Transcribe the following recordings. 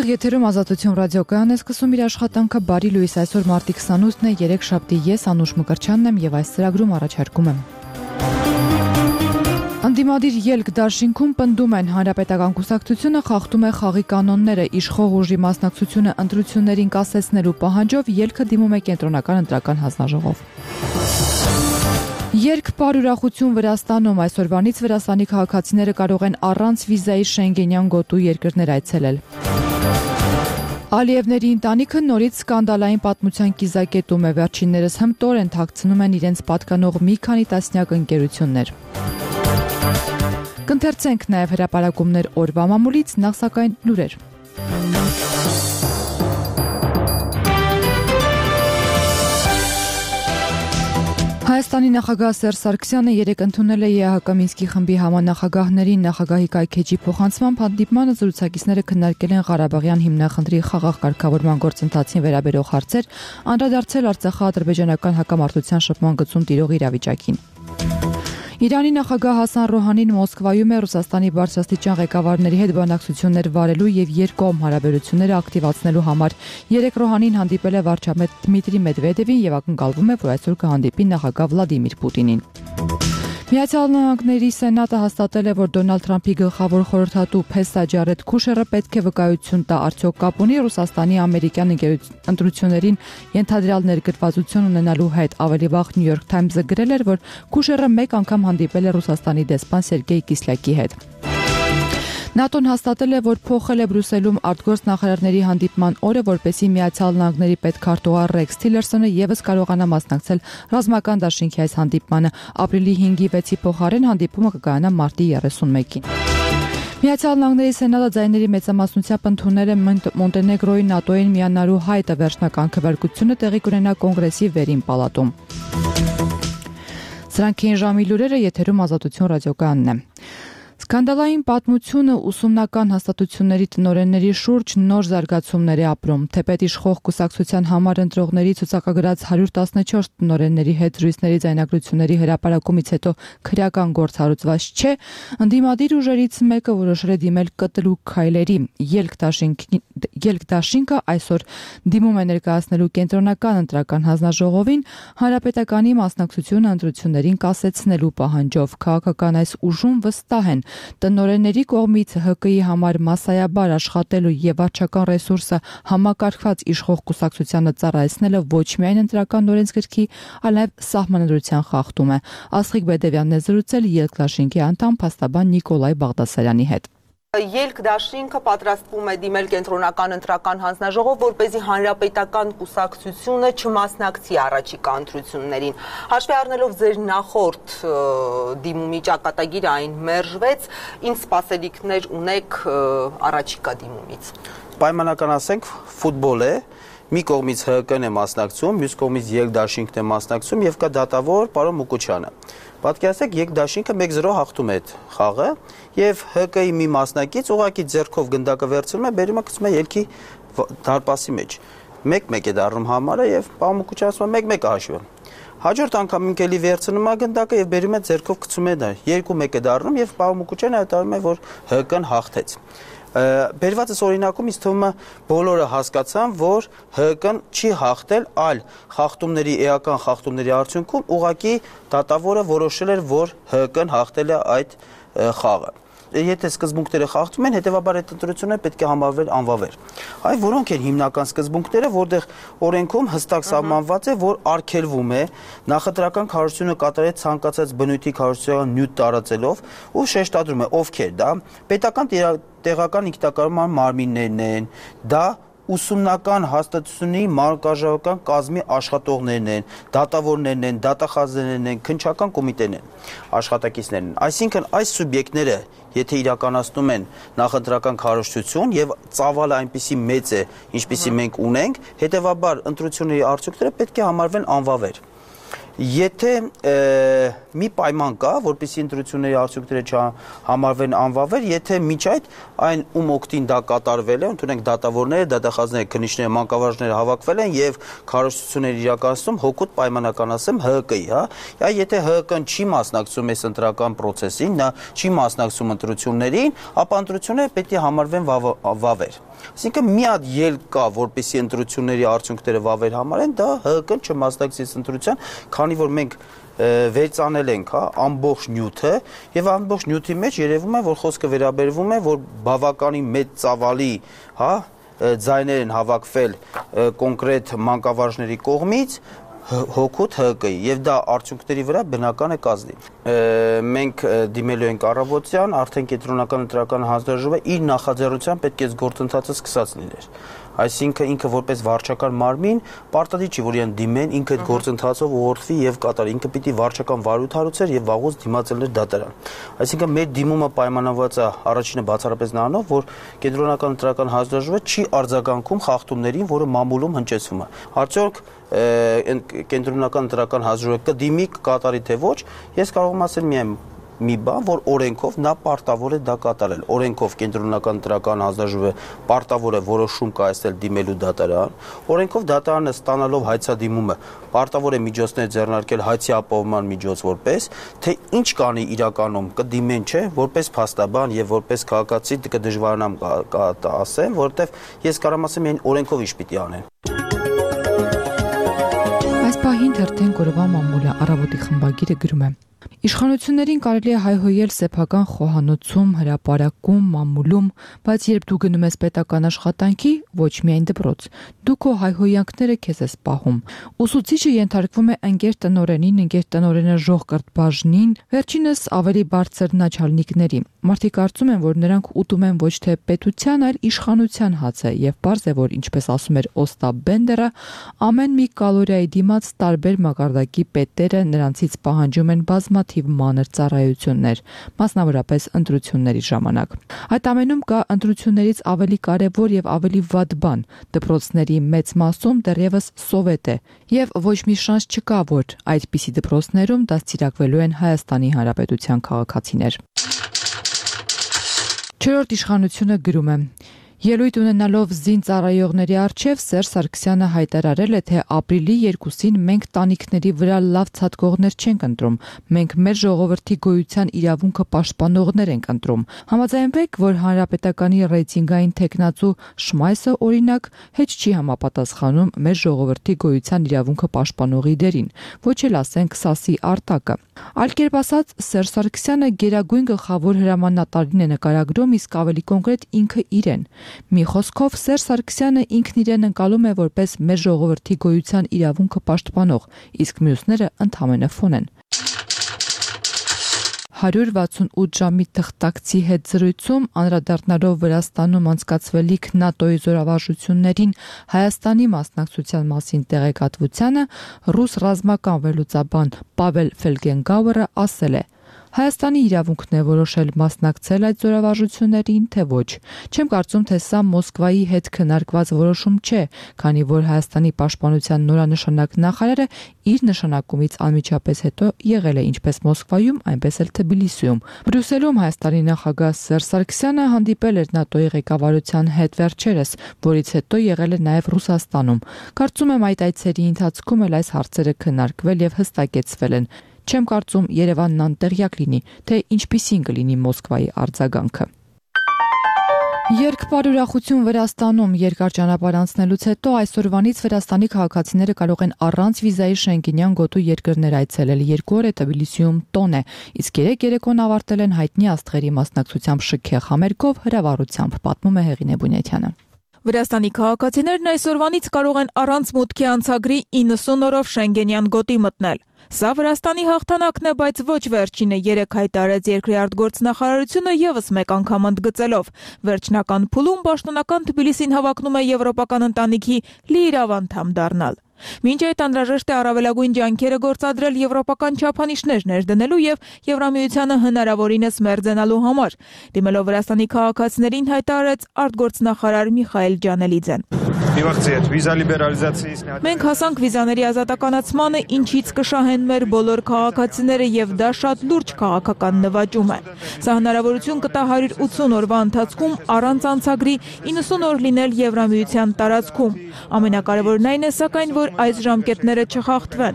Եթերում Ազատություն ռադիոկայանն է սկսում իր աշխատանքը բարի լույս այսօր մարտի 28-ն է, 3 շաբթի ես Անուշ Մկրտչյանն եմ եւ այս ծրագրում առաջարկում եմ։ Անդիմադիր ելք դաշինքում պնդում են հանրապետական կուսակցությունը խախտում է խաղի կանոնները, իշխող ուժի մասնակցությունը ընտրություններին կասեցնելու պահանջով ելքը դիմում է կենտրոնական ընտրական հանձնաժողով։ Երկ պարուրախություն Վրաստանում այսօրվանից Վրաստանի քաղաքացիները կարող են առանց վիզայի Շենգենյան գոտու երկրներ այցելել։ Ալիևների ընտանիքը նորից սկանդալային պատմության կիզակետում է, վերջիններս հմտորեն են թաքցնում են իրենց պատկանող մի քանի տասնյակ ընկերություններ։ Կընթերցենք նաև հրապարակումներ օրվա մամուլից, նախ սակայն լուրեր։ Հայաստանի նախագահ Սերժ Սարգսյանը երեկ ընդունել է ԵԱՀԿ Մինսկի խմբի համանախագահներին նախագահի կայքէջի փոխանցման հանդիպմանը զրուցակիցները քննարկել են Ղարաբաղյան հիմնախնդրի խաղաղ կարգավորման գործընթացին վերաբերող հարցեր, անդրադարձել Արցախա-ադրբեջանական հակամարտության շփման գծում տիրող իրավիճակին։ Իրանի նախագահ Հասան Ռոհանին Մոսկվայում է Ռուսաստանի բարձրաստիճան ղեկավարների հետ բանակցություններ վարելու եւ երկկողմ հարաբերությունները ակտիվացնելու համար։ Երեկ Ռոհանին հանդիպել է վարչապետ Դմիտրի Մեդվեդևին եւ ակնկալվում է, որ այսօր կհանդիպի նախագահ Վլադիմիր Պուտինին։ Միացյալ Նահանգների Սենատը հաստատել է, որ Դոնալդ Թրամփի գլխավոր խորհրդատու Փեսա Ջարեդ Քուշերը պետք է վկայություն տա արդյոք կապ ունի Ռուսաստանի ամերիկյան ընտրություններին ենթադրյալ ներգրավվածություն ունենալու հետ։ Ավելի վաղ New York Times-ը գրել էր, որ Քուշերը մեկ անգամ հանդիպել է Ռուսաստանի դեսպան Սերգեյ Կիսլյակի հետ։ ՆԱՏՕ-ն հաստատել է, որ փոխել է Բրյուսելում արտգործնախարարների հանդիպման օրը, որպեսզի Միացյալ Նահանգների պետքարտուղար Ռեքս Թիլերսոնը եւս կարողանա մասնակցել ռազմական դաշինքի այս հանդիպմանը։ Ապրիլի 5-ի 6-ի փոխարեն հանդիպումը կկայանա մարտի 31-ին։ Միացյալ Նահանգների Սենատը ձայների մեծամասնությամբ ընդունել է Մոնտենեգրոյի ՆԱՏՕ-ին միանալու հայտը, վերջնական քվեարկությունը տեղի կունենա կոնգրեսի վերին պալատում։ Սրանք էին ժամի լուրերը, եթերում Ազատություն ռադիոկայանն է։ Սկանդալային պատմությունը ուսումնական հաստատությունների տնօրենների շուրջ նոր զարգացումներ է ապրում։ Թեպետ իշխող կուսակցության համար ընտրողների ցուցակագրած 114 տնօրենների հետ զրույցների ձայնագրությունների հրապարակումից հետո քրեական գործ հարուցված չէ, ընդդիմադիր ուժերից մեկը որոշել է դիմել կտրուկ քայլերի։ Ելք դաշինքը այսօր դիմում է ներկայացնելու կենտրոնական ընտրական հանձնաժողովին հանրապետականի մասնակցությունը ընտրություններին կասեցնելու պահանջով։ Քաղաքական այս ուժում վստահ են, տնօրենների կողմից ՀԿ-ի համար մասսայաբար աշխատելու եւ վարչական ռեսուրսը համակարգված իշխող կուսակցությանը ծառայեցնելը ոչ միայն ընտրական օրենսգրքի, այլ նաեւ սահմանադրության խախտում է։ Աստղիկ Բեդևյանն է զրուցել Ելք դաշինքի անդամ փաստաբան Նիկոլայ Բաղդասարյանի հետ։ Ելք դաշինքը պատրաստվում է դիմել կենտրոնական ընտրական հանձնաժողով, որպեսզի հանրապետական կուսակցությունը չմասնակցի առաջիկա ընտրություններին։ Հաշվի առնելով ձեր նախորդ դիմումի ճակատագիրը այն մերժվեց, ինչ սպասելիքներ ունեք առաջիկա դիմումից։ Պայմանական ասենք ֆուտբոլ է, մի կողմից ՀԿ-ն է մասնակցում, մյուս կողմից Ելք դաշինքն է մասնակցում եւ կա դատավոր պարոն Մուկուչյանը։ Պատկերացրեք, Ելք դաշինքը 1-0 հաղթում է այդ խաղը եւ ՀԿ-ի մի մասնակից ուղղակի ձեռքով գնդակը վերցնում է, բերում է գցում է ելքի դարպասի մեջ։ 1-1 է դառնում համարը եւ պարոն Մուկուչյանը ասում է 1-1 հաշվում։ Հաջորդ անգամ ինքելի վերցնում է գնդակը եւ բերում է ձեռքով գցում է դա։ 2-1 է դառնում եւ պարոն Մուկուչյանը հայտարարում է, որ ՀԿ-ն հաղթեց։ Բերվածս օրինակում ինձ թվում է բոլորը հասկացան, որ ՀԿ-ն չի հաղթել, այլ խախտումների էական խախտումների արդյունքում ուղղակի դատավորը որոշել էր, որ ՀԿ-ն հաղթել է այդ խաղը։ Եթե սկզբունքները խախտում են, հետեւաբար այդ ընտրությունը պետք է համարվել անվավեր։ Այ որոնք են հիմնական սկզբունքները, որտեղ օրենքում հստակ սահմանված է, որ արգելվում է նախընտրական քարոզությունը կատարել ցանկացած բնույթի քարոզչական նյութ տարածելով ու շեշտադրում է ովքեր դա պետական տեղական ինքնակառավարման մարմիններն են, դա ուսումնական հաստատությունների մանկարժանական կազմի աշխատողներն են, դատավորներն են, դատախազներն են, քննչական կոմիտեն են, աշխատակիցներն են։ Այսինքն այս սուբյեկտները, եթե իրականացնում են նախընտրական քարոզչություն եւ ծավալը այնպիսի մեծ է, ինչպիսի մենք ունենք, հետեւաբար ընտրությունների արդյունքները պետք է համարվեն անվավեր։ Եթե մի պայման կա, որպեսզի ընտրությունների արդյունքները չհամարվեն անվավեր, եթե միջ այդ այն ում օգտին դա կատարվել է, ընդունենք դատավորները, դատախազները, քննիչները, մանկավարժները հավաքվել են եւ քարոզություններ իրականացնում հօգուտ պայմանականացեմ ՀԿ-ի, հա։ Եթե ՀԿ-ն չի մասնակցում այս ընտրական process-ին, նա չի մասնակցում ընտրություններին, ապա ընտրությունները պետք է համարվեն վավեր։ Այսինքն մի հատ ելք կա, որպեսզի ընտրությունների արդյունքները վավեր համարեն, դա ՀԿ-ն չմասնակցի ընտրության, քանի որ մենք վերցանել ենք, հա, ամբողջ նյութը եւ ամբողջ նյութի մեջ երևում է, որ խոսքը վերաբերվում է, որ բավականին մեծ ծավալի, հա, ձայներ են հավաքվել կոնկրետ մանկավարժների կողմից հօգուտ ՀԿ-ի եւ դա արդյունքների վրա բնական է կազդի։ Մենք դիմելու ենք առավոտյան, արդեն կենտրոնական ընտրական հանձնաժողովը իր նախաձեռնությամբ պետք է գործընթացը սկսած լիներ։ Այսինքն ինքը որպես վարչական մարմին պարտադիր չի, որ իրեն դիմեն, ինքը այդ գործընթացով ուղղորդվի եւ կատարի, ինքը պիտի վարչական վարույթ հարուցեր եւ վաղուց դիմացել էր դատարան։ Այսինքն մեր դիմումը պայմանավորված է առաջինը բացառապես նրանով, որ կենտրոնական ընտրական հանձնաժողովը չի արձագանքում խախտումներին, որը մամուլում հնչեցվում է։ Արդյոք կենտրոնական ընտրական հանձնաժողովը կդիմի, կկատարի թե ոչ, ես կարող եմ ասել միայն մի բան, որ օրենքով նա պարտավոր է դա կատարել։ Օրենքով կենտրոնական ընտրական հանձնաժողովը պարտավոր է որոշում կայացնել դիմելու դատարան։ Օրենքով դատարանը ստանալով հայցադիմումը պարտավոր է միջոցներ ձեռնարկել հայցի ապահովման միջոց որպես, թե ինչ կանի իրականում կդիմեն, չէ, որպես փաստաբան եւ որպես քաղաքացի կդժվարանամ ասեմ, որովհետեւ ես կարող եմ ասեմ, այն օրենքով ինչ պիտի անեն։ Այս պահին թերթեն կորովա մամուլը առավոտի խմբագիրը գրում է. Իշխանություններին կարելի է հայհոյել սեփական խոհանոցում, հրապարակում, մամուլում, բայց երբ դու գնում ես պետական աշխատանքի, ոչ միայն դպրոց, դու քո հայհոյանքները քեզ ես պահում։ Ուսուցիչը ենթարկվում է ընկեր տնօրենին, ընկեր տնօրենը ժողկրտ բաժնին, վերջինս ավելի բարձր նաչալնիկների։ Մարդիկ կարծում են, որ նրանք ուտում են ոչ թե պետության, այլ իշխանության հացը, եւ պարզ է, որ ինչպես ասում էր Օստապ Բենդերը, ամեն մի կալորիայի դիմաց տարբեր մակարդակի պետերը նրանցից պահանջում են բազմաթիվ մանր ծառայություններ, մասնավորապես ընտրությունների ժամանակ։ Այդ ամենում կա ընտրություններից ավելի կարևոր եւ ավելի վատ բան՝ դպրոցների մեծ մասում դեռևս սովետ է, եւ ոչ մի շանս չկա, որ այդպիսի դպրոցներում դաստիարակվելու են Հայաստանի Հանրապետության քաղաքացիներ։ Չորրորդ իշխանությունը գրում է. Ելույթ ունենալով զինծառայողների առջև Սերժ Սարգսյանը հայտարարել է, թե ապրիլի 2-ին մենք տանիքների վրա լավ ցատկողներ չենք ընտրում, մենք մեր ժողովրդի գոյության իրավունքը պաշտպանողներ ենք ընտրում։ Համաձայնվեք, որ հանրապետականի ռեյտինգային տեխնացու Շմայսը օրինակ հետ չի համապատասխանում մեր ժողովրդի գոյության իրավունքը պաշտպանողի դերին, ոչ էլ ասենք Սասի Արտակը։ Այլ կերպ ասած, Սերժ Սարգսյանը գերագույն գլխավոր հրամանատարին է նկարագրում, իսկ ավելի կոնկրետ ինքը իրեն։ Մի խոսքով Սերժ Սարգսյանը ինքն իրեն ընկալում է որպես մեր ժողովրդի գոյության իրավունքը պաշտպանող, իսկ մյուսները ընդհանրապես ֆոն են։ 168 ժամի թղթակցի հետ զրույցում անդրադառնալով Վրաստանում անցկացվելիք ՆԱՏՕ-ի զորավարժություններին Հայաստանի մասնակցության մասին տեղեկատվությանը ռուս ռազմական վերլուծաբան Պավել Ֆելգենգաուերը ասել է. Հայաստանի իրավունքն է որոշել մասնակցել այդ զորավարժություններին, թե ոչ։ Չեմ կարծում, թե սա Մոսկվայի հետ քննարկված որոշում չէ, քանի որ Հայաստանի պաշտպանության նորանշանակ նախարարը իր նշանակումից անմիջապես հետո եղել է ինչպես Մոսկվայում, այնպես էլ Թբիլիսիում։ Բրյուսելում Հայաստանի նախագահ Սերժ Սարգսյանը հանդիպել էր ՆԱՏՕ-ի ղեկավարության հետ վերջերս, որից հետո եղել է նաև Ռուսաստանում։ Կարծում եմ այդ այցերի ընթացքում էլ այս հարցերը քննարկվել եւ հստակեցվել են։ Չեմ կարծում Երևանն անտեղյակ լինի, թե ինչպիսին կլինի Մոսկվայի արձագանքը։ Երկբար ուրախություն Վրաստանում երկար ճանապարհ անցնելուց հետո այսօրվանից Վրաստանի քաղաքացիները կարող են առանց վիզայի Շենգենյան գոտու երկրներ այցելել։ 2 օր է Թբիլիսիում տոն է, իսկ երեկոն ավարտել են հայտնի աստղերի մասնակցությամբ շքեղ համերգով հրավառությամբ, պատմում է Հեղինե Բունյաթյանը։ Վրաստանի քաղաքացիներն այսօրվանից կարող են առանց մուտքի անցագրի 90 օրով Շենգենյան գոտի մտնել։ Սա Վրաստանի հաղթանակն է, բայց ոչ վերջինը, 3 հայտարարեց երկրի արտգործնախարարությունը եւս մեկ անգամ ընդգծելով։ Վերջնական փուլում պաշտոնական Թբիլիսին հավակնում է եվրոպական ընտանիքի լիիրավ անդամ դառնալ։ Մինչ այդ անհրաժեշտ է առավելագույն ջանքերը գործադրել եվրոպական չափանիշներ ներդնելու եւ Եվրամիությանը հնարավորինս մերձենալու համար, դիմելով Վրաստանի քաղաքացիներին հայտարարեց արտգործնախարար Միխայել Ջանելիձեն։ Մենք հասանք վիզաների ազատականացմանը, ինչից կշահեն մեր բոլոր քաղաքացիները եւ դա շատ լուրջ քաղաքական նվաճում է։ Սա հնարավորություն կտա 180 օրվա ընթացքում առանց անցագրի 90 օր լինել Եվրամիության տարածքում։ Ամենակարևորն այն է սակայն, որ այս ժամկետները չխախտվեն։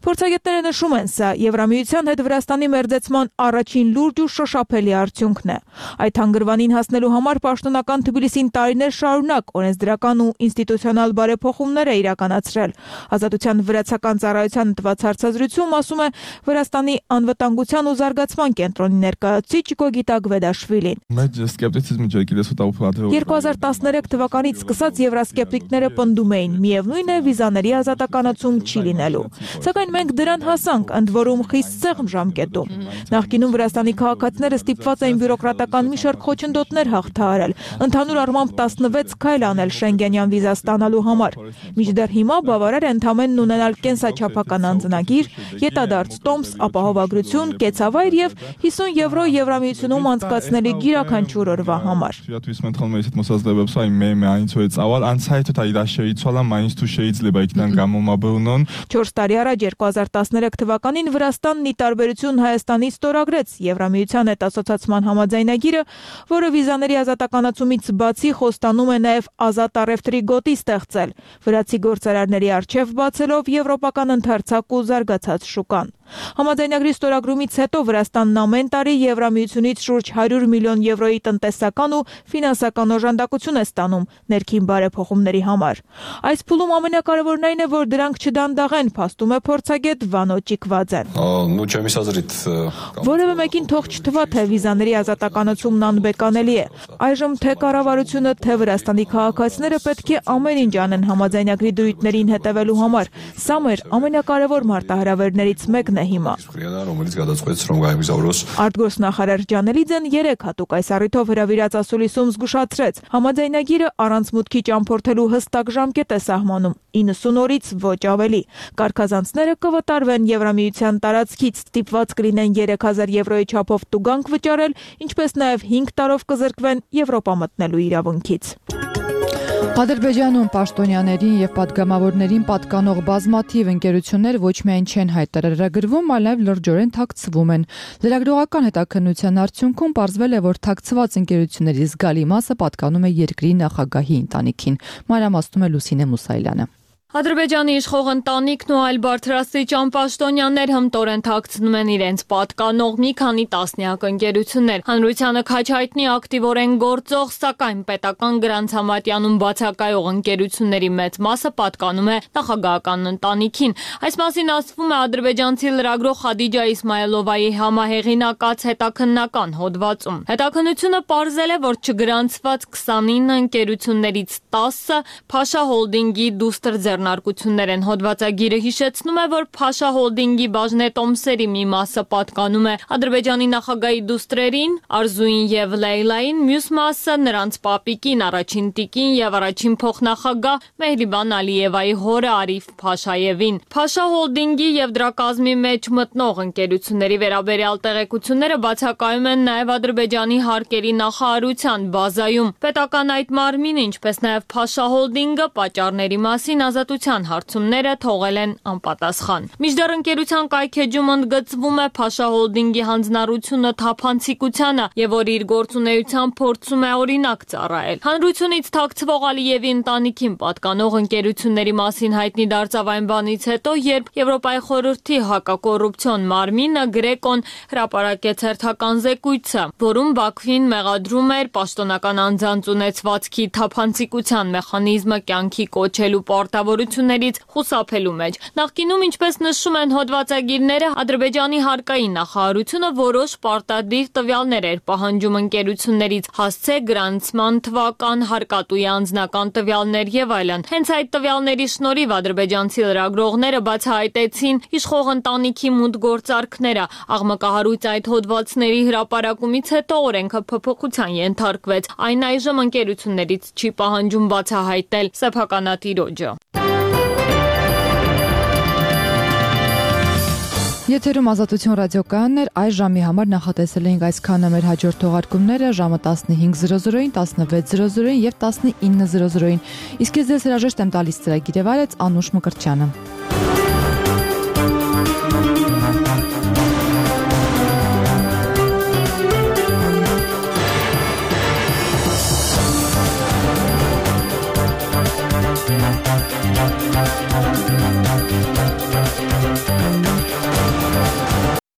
Փորձագետները նշում են, սա Եվրամիության հետ Վրաստանի մերձեցման առաջին լուրջ ու շոշափելի արդյունքն է։ Այդ հանգրվանին հասնելու համար պաշտոնական Թբիլիսին տարիներ շարունակ օրենսդրական ու ինստիտուցիոնալ բարեփոխումներ է իրականացրել։ Ազատության վրացական ծառայության տված հարցազրույցում ասում է Վրաստանի անվտանգության ու զարգացման կենտրոնի ներկայացուցիչ Գոգիտա Գվեդաշվիլին։ 2013 թվականից սկսած եվրասկեպտիկները պնդում էին, միևնույն է վիզաների ազատականացում չի լինելու։ Սակայն մենք դրան հասանք, ընդ որում խիստ սեղմ ժամկետում։ Նախկինում Վրաստանի քաղաքացիները ստիպված էին բյուրոկրատական մի շարք խոչընդոտներ հաղթահարել, ընդհանուր առմամբ 16 քայլ անել Շենգենյան վիզա ստանալու համար։ Մինչդեռ հիմա բավարար է ընդամենն ունենալ կենսաչափական անձնագիր, ետադարձ տոմս, ապահովագրություն, կեցավայր եւ 50 եվրո Եվրամիությունում անցկացնելի յուրաքանչյուր օրվա համար։ 4 տարի առաջ 2013 թվականին Վրաստանն ի տարբերություն Հայաստանի ստորագրեց Եվրամիության հետ ասոցացման համաձայնագիրը, որը վիզաների ազատականացումից բացի խոստանում է նաև ազատ առևտրի գոտի ստեղծել, վրացի գործարարների առջև բացելով եվրոպական ընդարձակ ու զարգացած շուկան։ Համաձայնագրի ստորագրումից հետո Վրաստանն ամեն տարի Եվրամիությունից շուրջ 100 միլիոն եվրոյի տնտեսական ու ֆինանսական օժանդակություն է ստանում ներքին բարեփոխումների համար։ Այս փուլում ամենակարևորն այն է, որ դրանք չդանդաղեն, փաստում է փորձագետ Վանո Ճիկվաձեն։ Որևէ մեկին թող չթվա, թե վիզաների ազատականացումն անբեկանելի է։ Այժմ թե կառավարությունը, թե Վրաստանի քաղաքացիները պետք է ամեն ինչ անեն համաձայնագրի դրույթներին հետևելու համար։ Սա մեր ամենակարևոր մարտահրավերներից մեկն է հիմա։ Արտգործնախարար Ջանելիձեն 3 հատուկ այս առիթով հրավիրած ասուլիսում զգուշացրեց, համաձայնագիրը առանց մուտքի ճամփորդելու հստակ ժամկետ է սահմանում՝ 90 օրից ոչ ավելի։ Կարգազանցները կվտարվեն Եվրամիության տարածքից, ստիպված կլինեն 3000 եվրոյի չափով տուգանք վճարել, ինչպես նաև 5 տարով կզրկվեն Եվրոպա մտնելու իրավունքից։ Ադրբեջանում պաշտոնյաներին եւ պատգամավորներին պատկանող բազմաթիվ ընկերություններ ոչ միայն չեն հայտարարագրվում, այլև լրջորեն թաքցվում են։ Լրագրողական հետաքննության արդյունքում պարզվել է, որ թաքցված ընկերությունների զգալի մասը պատկանում է երկրի նախագահի ընտանիքին։ Մանրամասնում է Լուսինե Մուսայելյանը։ Ադրբեջանի իշխող ընտանիքն ու այլ բարձրաստիճան պաշտոնյաներ հմտորեն թաքցնում են իրենց պատկանող մի քանի տասնյակ ընկերություններ։ Հանրությանը քաջ հայտնի ակտիվորեն գործող, սակայն պետական գրանցամատյանում բացակայող ընկերությունների մեծ մասը պատկանում է նախագահական ընտանիքին։ Այս մասին ասվում է ադրբեջանցի լրագրող Խադիջա Իսմայելովայի համահեղինակած հետաքննական հոդվածում։ Հետաքննությունը պարզել է, որ չգրանցված 29 ընկերություններից 10-ը Փաշա հոլդինգի դուստր ձեռնարկություններ են։ Հոդվածագիրը հիշեցնում է, որ Փաշա հոլդինգի բաժնետոմսերի մի մասը պատկանում է Ադրբեջանի նախագահի դուստրերին, Արզուին եւ Լեյլային, մյուս մասը նրանց պապիկին, առաջին տիկին եւ առաջին փոխնախագահ Մեհրիբան Ալիևայի հորը Արիֆ Փաշաևին։ Փաշա հոլդինգի եւ դրա կազմի մեջ մտնող ընկերությունների վերաբերյալ տեղեկությունները բացակայում են նաեւ Ադրբեջանի հարկերի նախարարության բազայում։ Պետական այդ մարմինը, ինչպես նաեւ Փաշա հոլդինգը պատճառների մասին ազատության հարցումները թողել են անպատասխան։ Մինչդեռ ընկերության կայքեջում ընդգծվում է Փաշա հոլդինգի հանձնառությունը թափանցիկությանը եւ որ իր գործունեությամբ փորձում է օրինակ ծառայել։ Հանրությունից թաքցվող Ալիևի ընտանիքին պատկանող ընկերությունների մասին հայտնի դարձավ այն բանից հետո, երբ Եվրոպայի խորհրդի հակակոռուպցիոն մարմինը Գրեկոն հրապարակեց հերթական զեկույցը, որում Բաքվին մեղադրում էր պաշտոնական անձանց ունեցվածքի թափանցիկության մեխանիզմը կյանքի կոչելու պարտավոր հնարավորություններից խուսափելու մեջ։ Նախկինում, ինչպես նշում են հոդվածագիրները, Ադրբեջանի հարկային նախարարությունը որոշ պարտադիր տվյալներ էր պահանջում ընկերություններից՝ հասցե, գրանցման թվական, հարկատուի անձնական տվյալներ եւ այլն։ Հենց այդ տվյալների շնորհիվ ադրբեջանցի լրագրողները բացահայտեցին իշխող ընտանիքի մուտք գործարքները։ Աղմկահարույց այդ հոդվածների հրապարակումից հետո օրենքը փոփոխության ենթարկվեց։ Այն այժմ ընկերություններից չի պահանջում բացահայտել սեփականատիրոջը։ Եթերում Ազատություն ռադիոկայանն էր, այս ժամի համար նախատեսել էինք այսքանը, մեր հաջորդ թողարկումները ժամը 15:00-ին, 16:00-ին եւ 19:00-ին։ Իսկ ես ձեզ հրաժեշտ եմ տալիս ծրագիրը վարեց Անուշ Մկրտչյանը։